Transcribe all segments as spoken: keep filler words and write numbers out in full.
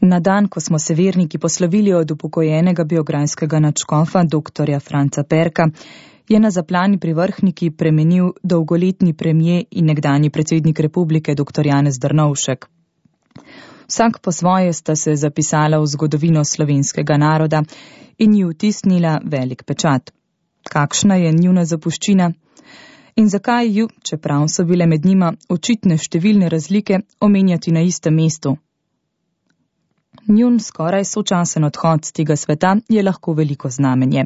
Na dan, ko smo se verniki poslovili od upokojenega biograjskega nadškofa doktorja Franca Perka, je na zaplani pri Vrhniki premenil dolgoletni premier in nekdanji predsednik republike doktor Janez Drnovšek. Vsak po svoje sta se zapisala v zgodovino slovenskega naroda in ji vtisnila velik pečat. Kakšna je njuna zapuščina in zakaj ju, čeprav so bile med njima očitne številne razlike, omenjati na istem mestu? Njun skoraj sočasen odhod z tega sveta je lahko veliko znamenje.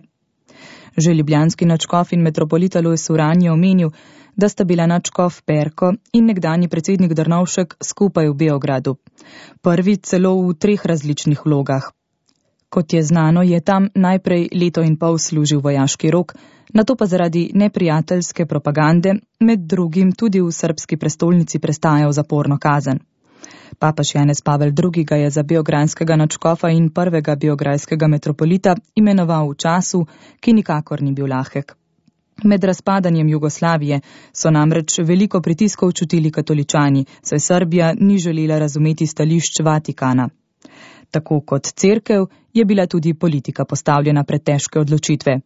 Že ljubljanski nadškof in metropolit Alojz Uran je omenil, da sta bila nadškof Perko in nekdanji predsednik Drnovšek skupaj v Beogradu. Prvi celo v treh različnih vlogah. Kot je znano, je tam najprej leto in pol služil vojaški rok, nato pa zaradi neprijateljske propagande med drugim tudi v srbski prestolnici prestajal zaporno kazen. Papež Janez Pavel drugi. Ga je za beograjskega nadškofa in prvega beograjskega metropolita imenoval v času, ki nikakor ni bil lahek. Med razpadanjem Jugoslavije so namreč veliko pritiskov čutili katoličani, saj Srbija ni želela razumeti stališč Vatikana. Tako kot cerkev je bila tudi politika postavljena pred težke odločitve.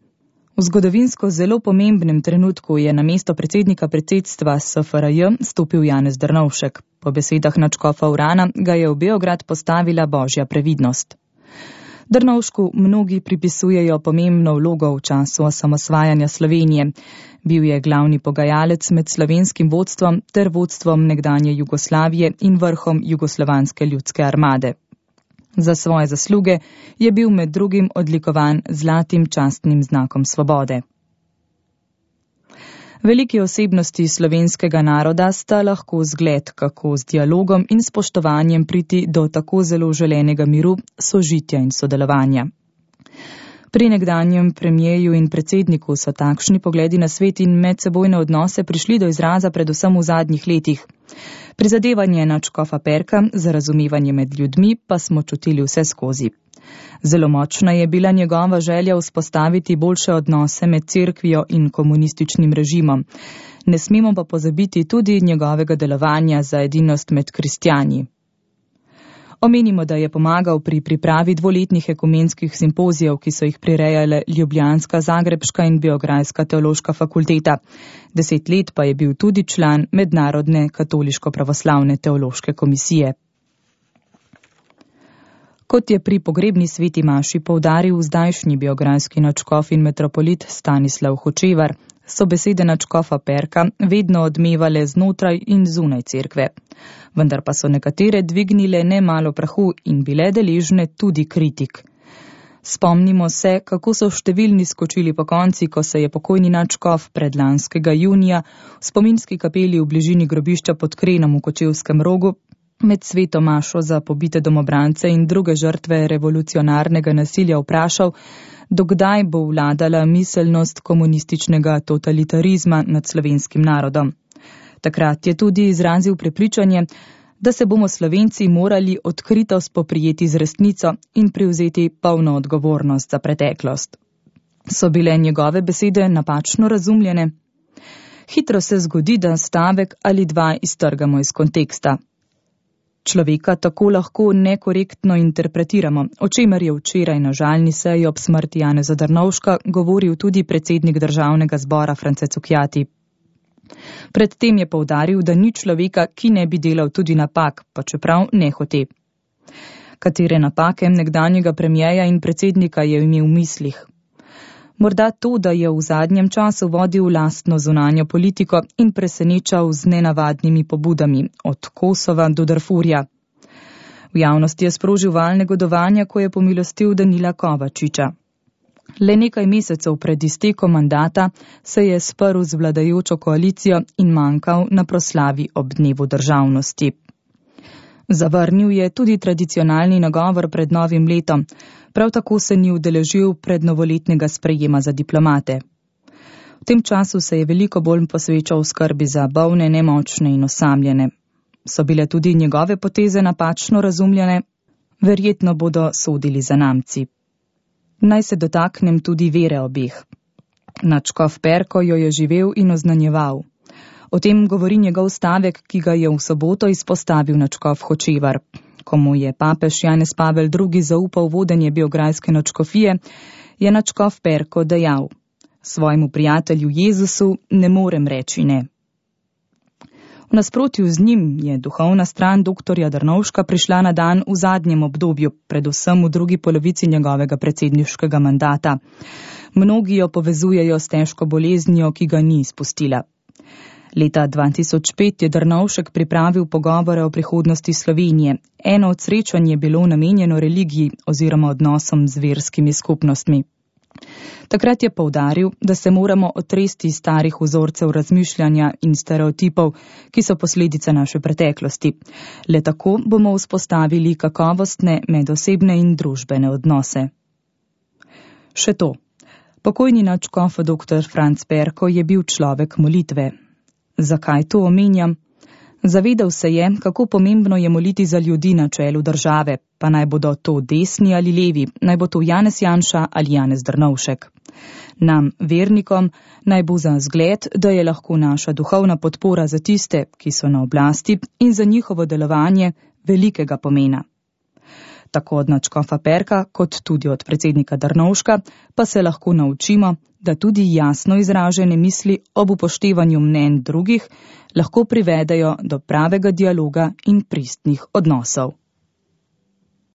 V zgodovinsko zelo pomembnem trenutku je na mesto predsednika predsedstva S F R J stopil Janez Drnovšek. Po besedah nadškofa Urana ga je v Beograd postavila božja previdnost. Drnovšku mnogi pripisujejo pomembno vlogo v času osamosvajanja Slovenije. Bil je glavni pogajalec med slovenskim vodstvom ter vodstvom nekdanje Jugoslavije in vrhom Jugoslovanske ljudske armade. Za svoje zasluge je bil med drugim odlikovan z zlatim častnim znakom svobode. Veliki osebnosti slovenskega naroda sta lahko zgled, kako z dialogom in spoštovanjem priti do tako zelo želenega miru, sožitja in sodelovanja. Pri nekdanjem premierju in predsedniku so takšni pogledi na svet in medsebojne odnose prišli do izraza predvsem v zadnjih letih. Prizadevanje nadškofa Perka za razumevanje med ljudmi pa smo čutili vse skozi. Zelo močna je bila njegova želja vzpostaviti boljše odnose med cerkvijo in komunističnim režimom. Ne smemo pa pozabiti tudi njegovega delovanja za edinost med kristjani. Omenimo, da je pomagal pri pripravi dvoletnih ekumenskih simpozijev, ki so jih prirejale ljubljanska, zagrebška in beograjska teološka fakulteta. Deset let pa je bil tudi član Mednarodne katoliško-pravoslavne teološke komisije. Kot je pri pogrebni sveti maši poudaril zdajšnji beograjski nadškof in metropolit Stanislav Hočevar, so besede nadškofa Perka vedno odmevale znotraj in zunaj cerkve. Vendar pa so nekatere dvignile nemalo prahu in bile deležne tudi kritik. Spomnimo se, kako so številni skočili po konci, ko se je pokojni nadškof predlanskega junija v spominski kapeli v bližini grobišča pod Krenom v Kočevskem Rogu med sveto mašo za pobite domobrance in druge žrtve revolucionarnega nasilja vprašal, dokdaj bo vladala miselnost komunističnega totalitarizma nad slovenskim narodom. Takrat je tudi izrazil prepričanje, da se bomo Slovenci morali odkrito spoprijeti z resnico in prevzeti polno odgovornost za preteklost. So bile njegove besede napačno razumljene? Hitro se zgodi, da stavek ali dva iztrgamo iz konteksta. Človeka tako lahko nekorektno interpretiramo, o čemer je včeraj na žalni seji ob smrti Janeza Drnovška govoril tudi predsednik državnega zbora France Cukjati. Predtem je poudaril, da ni človeka, ki ne bi delal tudi napak, pa čeprav nehote. Katere napake nekdanjega premierja in predsednika je imel v mislih? Morda to, da je v zadnjem času vodil lastno zunanjo politiko in presenečal z nenavadnimi pobudami, od Kosova do Darfurja. V javnosti je sprožil val negodovanja, ko je pomilostil Danila Kovačiča. Le nekaj mesecev pred iztekom mandata se je sprl z vladajočo koalicijo in manjkal na proslavi ob dnevu državnosti. Zavrnil je tudi tradicionalni nagovor pred novim letom, prav tako se ni udeležil prednovoletnega sprejema za diplomate. V tem času se je veliko bolj posvečal skrbi za bolne, nemočne in osamljene. So bile tudi njegove poteze napačno razumljene? Verjetno bodo sodili zanamci. Naj se dotaknem tudi vere obeh. Nadškof Perko jo je živel in oznanjeval. O tem govori njegov stavek, ki ga je v soboto izpostavil nadškof Hočevar. Ko mu je papež Janez Pavel drugi zaupal vodenje Beograjske nadškofije, je nadškof Perko dejal: svojemu prijatelju Jezusu ne morem reči ne. V nasprotju z njim je duhovna stran doktorja Drnovška prišla na dan v zadnjem obdobju, predvsem v drugi polovici njegovega predsedniškega mandata. Mnogi jo povezujejo s težko boleznijo, ki ga ni izpustila. Leta dva tisoč pet je Drnovšek pripravil pogovore o prihodnosti Slovenije. Eno od srečanj je bilo namenjeno religiji oziroma odnosom z verskimi skupnostmi. Takrat je poudaril, da se moramo otresti starih vzorcev razmišljanja in stereotipov, ki so posledica naše preteklosti. Le tako bomo vzpostavili kakovostne medosebne in družbene odnose. Še to. Pokojni nadškof doktor Franc Perko je bil človek molitve. Zakaj to omenjam? Zavedal se je, kako pomembno je moliti za ljudi na čelu države, pa naj bodo to desni ali levi, naj bo to Janez Janša ali Janez Drnovšek. Nam, vernikom, naj bo za zgled, da je lahko naša duhovna podpora za tiste, ki so na oblasti, in za njihovo delovanje velikega pomena. Tako od nadškofa Perka, kot tudi od predsednika Drnovška, pa se lahko naučimo, da tudi jasno izražene misli ob upoštevanju mnenj drugih lahko privedejo do pravega dialoga in pristnih odnosov.